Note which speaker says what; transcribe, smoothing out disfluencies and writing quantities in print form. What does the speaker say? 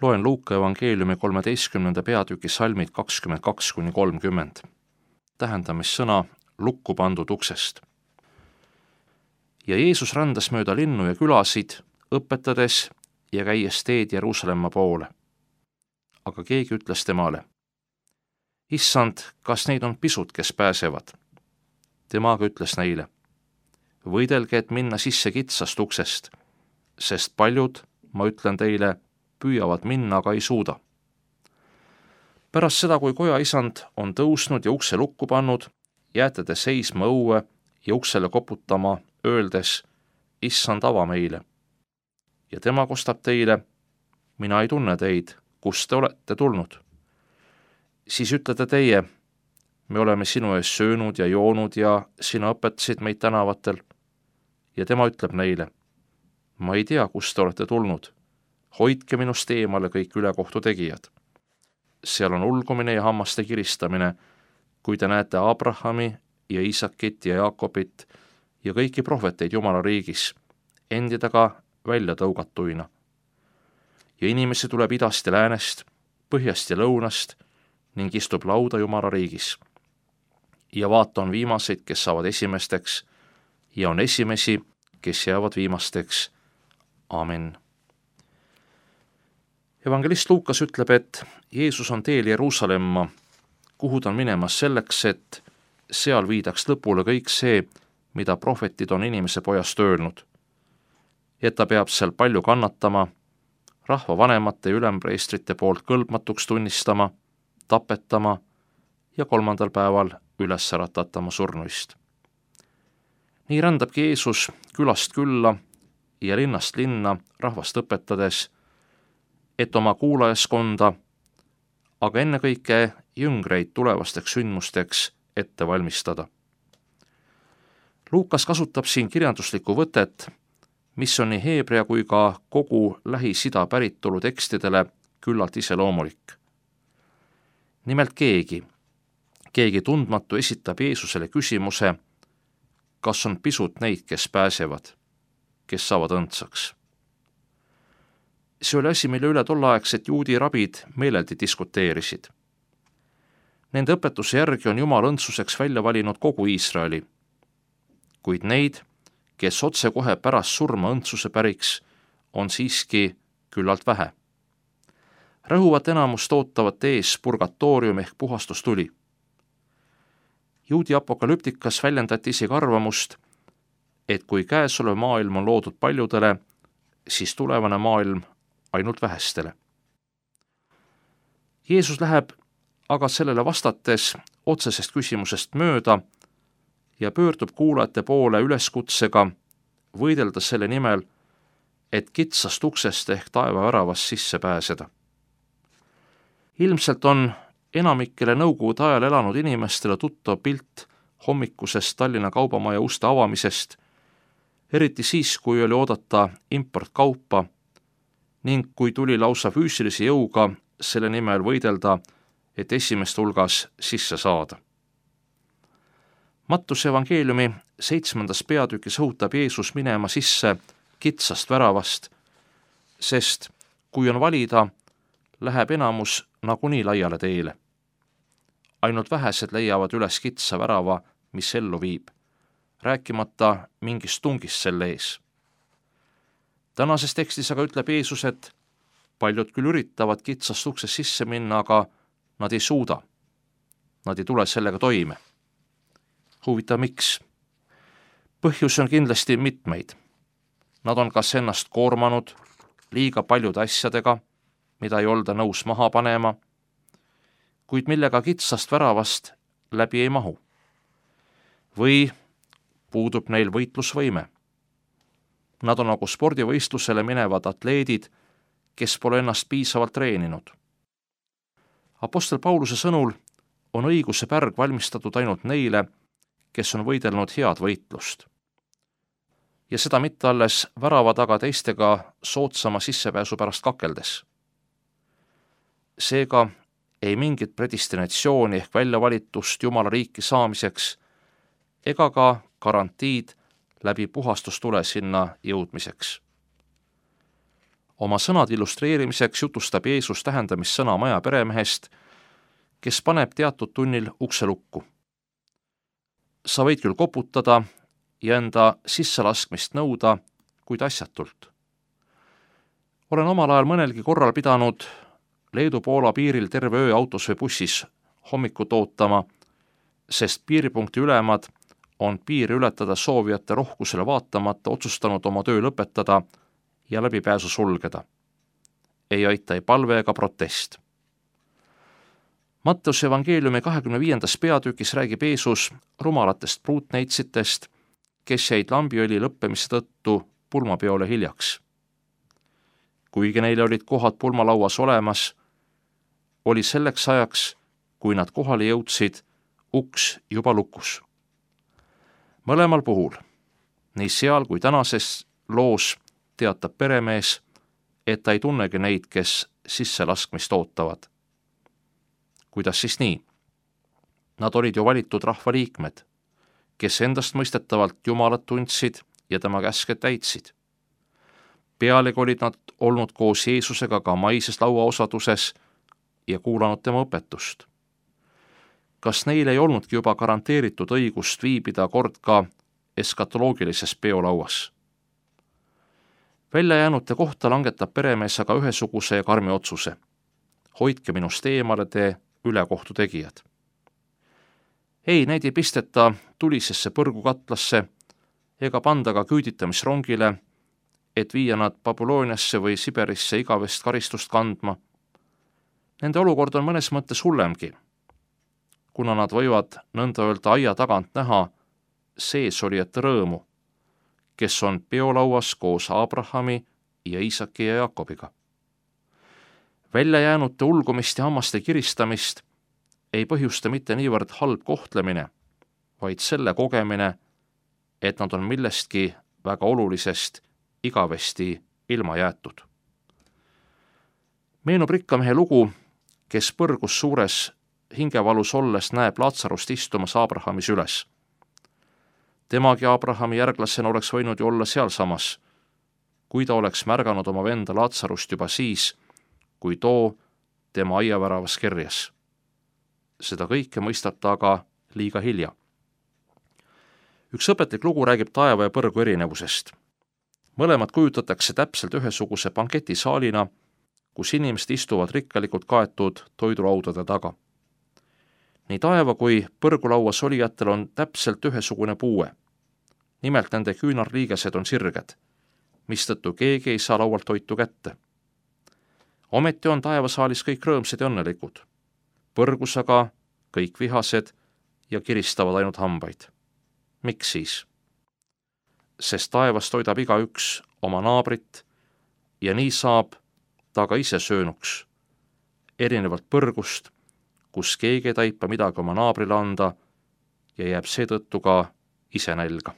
Speaker 1: Loen Luuka evangeeliumi 13. peatüki salmid 22–30. Tähendamissõna lukku pandud uksest. Ja Jeesus rändas mööda linnu ja külasid, õpetades ja käies teed Jeruusalemma poole. Aga keegi ütles temale: Issand, kas neid on pisut, kes pääsevad? Tema aga ütles neile: võidelge, et minna sisse kitsast uksest, sest paljud, ma ütlen teile, püüavad minna, aga ei suuda. Pärast seda, kui koja isand on tõusnud ja ukse lukku pannud, jääte te seisma õue ja uksele koputama, öeldes: Issand, ava meile. Ja tema kostab teile: mina ei tunne teid, kust te olete tulnud. Siis ütlete teie: me oleme sinu ees söönud ja joonud ja sina õpetasid meid tänavatel. Ja tema ütleb neile: ma ei tea, kust te olete tulnud. Hoidke minust eemale kõik ülekohtu tegijad. Seal on ulgumine ja hammaste kiristamine, kui te näete Abrahami ja Iisakit ja Jaakobit ja kõiki prohveteid Jumala riigis, endi taga välja tõugatuina. Ja inimesi tuleb idast ja läänest, põhjast ja lõunast ning istub lauda Jumala riigis. Ja vaata, on viimaseid, kes saavad esimesteks, ja on esimesi, kes jäävad viimasteks. Amen. Evangelist Luukas ütleb, et Jeesus on teel Jeruusalemma, kuhu ta on minemas selleks, et seal viidaks lõpule kõik see, mida prohvetid on inimese pojast öelnud. Et ta peab seal palju kannatama, rahva vanemate ja ülempreestrite poolt kõlbmatuks tunnistama, tapetama ja 3. päeval üles äratatama surnuist. Nii rändabki Jeesus külast külla ja linnast linna rahvast õpetades, et oma kuulajaskonda, aga ennekõike jüngreid tulevasteks sündmusteks ette valmistada. Luukas kasutab siin kirjanduslikku võtet, mis on nii heebrea kui ka kogu Lähis-Ida päritolu tekstidele küllalt iseloomulik. Nimelt keegi tundmatu esitab Jeesusele küsimuse, kas on pisut neid, kes pääsevad, kes saavad õndsaks. See oli asi, mille üle tolleaegsed juudi rabid meeleldi diskuteerisid. Nende õpetuse järgi on Jumal õndsuseks välja valinud kogu Iisraeli, kuid neid, kes otsekohe pärast surma õndsuse päriks, on siiski küllalt vähe. Rõhuvat enamust ootavat ees purgatoorium ehk puhastustuli. Juudi apokalüptikas väljendati isegi arvamust, et kui käesolev maailm on loodud paljudele, siis tulevane maailm ainult vähestele. Jeesus läheb aga sellele vastates otsesest küsimusest mööda ja pöördub kuulajate poole üleskutsega võidelda selle nimel, et kitsast uksest ehk taevaväravast sisse pääseda. Ilmselt on enamikele nõukogude ajal elanud inimestele tuttav pilt hommikusest Tallinna Kaubamaja uste avamisest, eriti siis, kui oli oodata importkaupa ning kui tuli lausa füüsilise jõuga selle nimel võidelda, et esimeste hulgas sisse saada. Mattuse evangeeliumi 7. peatükis õhutab Jeesus minema sisse kitsast väravast, sest kui on valida, läheb enamus nagunii laiale teele. Ainult vähesed leiavad üles kitsa värava, mis ellu viib, rääkimata mingist tungist selle ees. Tänases tekstis aga ütleb Jeesus, et paljud küll üritavad kitsast uksest sisse minna, aga nad ei suuda. Nad ei tule sellega toime. Huvitav, miks? Põhjusi on kindlasti mitmeid. Nad on kas ennast koormanud liiga paljude asjadega, mida ei olda nõus maha panema, kuid millega kitsast väravast läbi ei mahu. Või puudub neil võitlusvõime. Nad on nagu spordivõistlusele minevad atleedid, kes pole ennast piisavalt treeninud. Apostel Pauluse sõnul on õiguse pärg valmistatud ainult neile, kes on võidelnud head võitlust. Ja seda mitte alles värava taga teistega soodsama sissepääsu pärast kakeldes. Seega ei mingit predestinatsiooni ehk väljavalitust Jumala riiki saamiseks ega ka garantiid läbi puhastustule sinna jõudmiseks. Oma sõnade illustreerimiseks jutustab Jeesus tähendamissõna maja peremehest, kes paneb teatud tunnil ukse lukku. Sa võid küll koputada ja enda sisselaskmist nõuda, kuid asjatult. Olen omal ajal mõnelgi korral pidanud Leedu-Poola piiril terve öö autos või bussis hommikut ootama, sest piiripunkti ülemad on piiri ületada soovijate rohkusele vaatamata otsustanud oma töö lõpetada ja läbipääsu sulgeda. Ei aita ei palve ega protest. Matteuse evangeeliumi 25. peatükis räägib Jeesus rumalatest pruutneitsitest, kes jäid lambiõli lõppemise tõttu pulmapeole hiljaks. Kuigi neile olid kohad pulmalauas olemas, oli selleks ajaks, kui nad kohale jõudsid, uks juba lukus. Mõlemal puhul, nii seal kui tänases loos, teatab peremees, et ta ei tunnegi neid, kes sisselaskmist ootavad. Kuidas siis nii? Nad olid ju valitud rahvaliikmed, kes endast mõistetavalt Jumalat tundsid ja tema käske täitsid. Pealegi olid nad olnud koos Jeesusega ka maises lauaosaduses ja kuulanud tema õpetust. Kas neil ei olnudki juba garanteeritud õigust viibida kord ka eskatoloogilises peolauas? Väljajäänute kohta langetab peremees aga ühesuguse ja karmi otsuse. Hoidke minust eemale te ülekohtu tegijad. Ei, neid ei pisteta tulisesse põrgukatlasse ega panda ka küüditamisrongile, et viia nad Babyloniasse või Siberisse igavest karistust kandma. Nende olukord on mõnes mõttes hullemgi, kuna nad võivad nõnda öelda aia tagant näha seesolijate rõõmu, kes on peolauas koos Abrahami ja Iisaki ja Jaakobiga. Väljajäänute ulgumist ja hammaste kiristamist ei põhjusta mitte niivõrd halb kohtlemine, vaid selle kogemine, et nad on millestki väga olulisest igavesti ilma jäetud. Meenub rikkamehe lugu, kes põrgus suures hingevalus olles näeb Laatsarust istumas Abrahami süles. Temagi Abrahami järglasena oleks võinud ju olla sealsamas, kui ta oleks märganud oma venda Laatsarust juba siis, kui too tema aiaväravas kerjas. Seda kõike mõistab ta aga liiga hilja. Üks õpetlik lugu räägib taeva ja põrgu erinevusest. Mõlemad kujutatakse täpselt ühesuguse banketisaalina, kus inimesed istuvad rikkalikult kaetud toidulaudade taga. Nii taeva kui põrgulauas olijatel on täpselt ühesugune puue. Nimelt nende küünarliigesed on sirged, mistõttu keegi ei saa laualt toitu kätte. Ometi on taevasaalis kõik rõõmsad ja õnnelikud. Põrgus aga kõik vihased ja kiristavad ainult hambaid. Miks siis? Sest taevas toidab igaüks oma naabrit ja nii saab ta ka ise söönuks, erinevalt põrgust, kus keegi ei taipa midagi oma naabrile anda ja jääb seetõttu ka ise nälga.